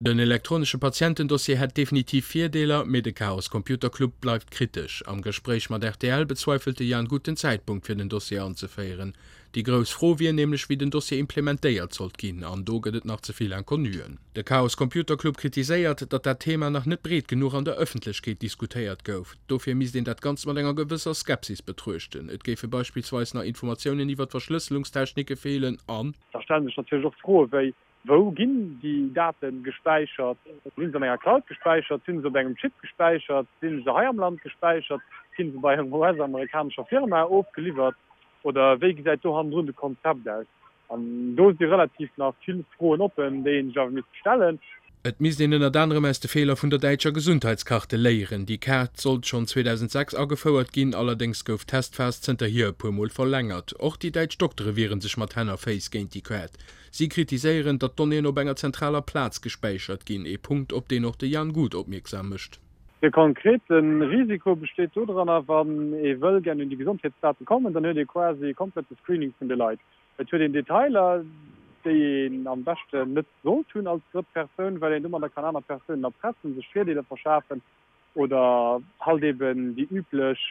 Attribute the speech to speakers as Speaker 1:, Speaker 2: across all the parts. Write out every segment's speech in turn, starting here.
Speaker 1: Den elektronesche Patientendossier hätt definitiv Virdeeler, mee de Chaos Computer Club bleift kritesch. Am Gespréich mat rtl bezweifelt de Jan Guth den Zäitpunkt fir den Dossier anzeféieren. Déi grouss Fro wier nämlech wéi den Dossier implementéiert sollt ginn, an do gëtt et nach ze vill Inconnuen. De Chaos Computer Club kritiséiert, datt dat Thema nach net breet genuch an der Ëffentlechkeet diskutéiert gouf. Dofir misst een dat Ganzt mat enger gewësser Skepsis betruechten. Et géife beispillsweis nach Informatiounen iwwer d'Verschlësselungstechnike feelen an.
Speaker 2: Da stelle sech natierlech och Froe wéi, Wou ginn déi Date gespäichert? Sinn se an enger Cloud gespäichert? Sinn se op engem Chip gespäichert? Sinn se hei am Land gespäichert? Ginn se bei enger US-amerikanescher Firma ofgeliwwert? Oder wéi gesäit do hannendrun de Konzept aus? An do si relativ nach vill Froen oppen, déi ee sech awer misst stellen.
Speaker 1: Et misst een ënnert anerem aus de Feeler vun der däitscher Gesundheitskarte léieren. Déi Kaart sollt schonn 2006 agefouert ginn, allerdéngs gouf d'Testphas zënterhier e puer Mol verlängert. Och déi däitsch Doktere wiere sech mat Hänn a Féiss géint déi Kaart. Si kritiséieren, datt d'Donnéeën op enger zentraler Plaz gespäichert ginn, ee Punkt, op deen och de Jan Guth opmierksam mécht.
Speaker 2: De konkrete Risiko besteet dodranner, wann ee wëll gär un déi Gesondheetsdate kommen, dann huet ee quasi e komplette Screening vun de Leit. Et huet een Detailer, déi een am beschten net sollt hunn als drëtt Persoun, well een domadder kann aner Persounen erpressen, sech Virdeeler verschafen oder halt eben déi üblech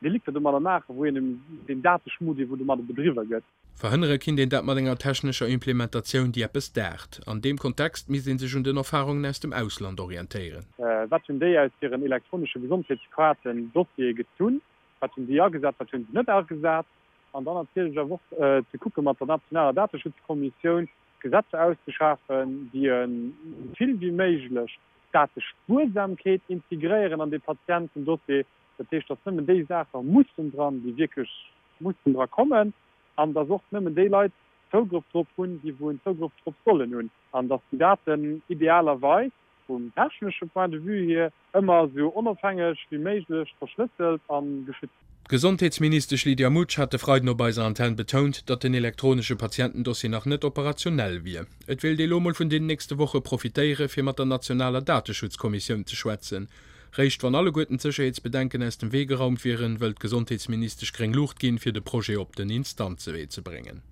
Speaker 2: Delikter domadder maachen, wou een deen Dateschmuddel, wou domadder bedriwwe gëtt.
Speaker 1: Verhënnere kinnt een dat mat enger technescher Implementatioun, déi eppes daacht. An deem Kontext misst ee sech un den Erfarungen aus dem Ausland orientéieren.
Speaker 2: Wat hunn déi aus hiren elektronesche Gesondheetskaarten, Dossiere gezunn? Wat hunn déi agesat, wat hunn se net agesat? An dann natierlech awer och ze kucke mat der nationaler Dateschutzkommissioun Gesetzer auszeschafen, déi esou vill wéi méiglech d'Datespuersamkeet integréieren an dee Patientendossier. Dat heescht, datt nëmmen déi Saache mussen dran, déi wierklech mussen dra kommen, an datt och nëmmen déi Leit Zougrëff drop hunn, déi wou en Zougrëff drop sollen hunn, an datt déi Daten idealerweis vum technesche Point de vue hier ëmmer esou onofhängeg wéi méiglech verschlësselt a geschützt.
Speaker 1: D'Gesondheetsministesch Lydia Mutsch hat de Freiden op eiser Antenn betount, datt den elektronesche Patientendossier nach net operationell wier. Et wéilt ee lo mol vun den nächste Woche profitéiere fir mat der nationaler Dateschutzkommissioun ze schwätzen. Réischt wann alleguerten d'Sécherheetsbedenken aus dem Wee geraumt wieren, wëllt d'Gesondheetsministesch gréng Luucht ginn, fir de Projet op den Instanzewee ze bréngen.